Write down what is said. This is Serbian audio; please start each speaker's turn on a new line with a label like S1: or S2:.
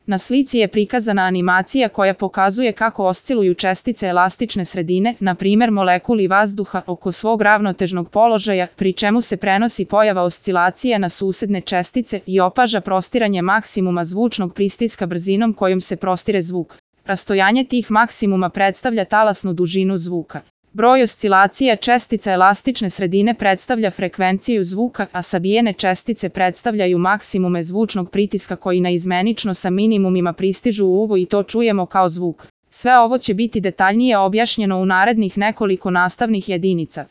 S1: Na slici je prikazana animacija koja pokazuje kako osciluju čestice elastične sredine, na primjer molekuli vazduha, oko svog ravnotežnog položaja, pri čemu se prenosi pojava oscilacije na susedne čestice i opaža prostiranje maksimuma zvučnog pristiska brzinom kojom se prostire zvuk. Rastojanje tih maksimuma predstavlja talasnu dužinu zvuka. Broj oscilacija čestica elastične sredine predstavlja frekvenciju zvuka, a sabijene čestice predstavljaju maksimume zvučnog pritiska koji naizmenično sa minimumima pristižu u uvo i to čujemo kao zvuk. Sve ovo će biti detaljnije objašnjeno u narednih nekoliko nastavnih jedinica.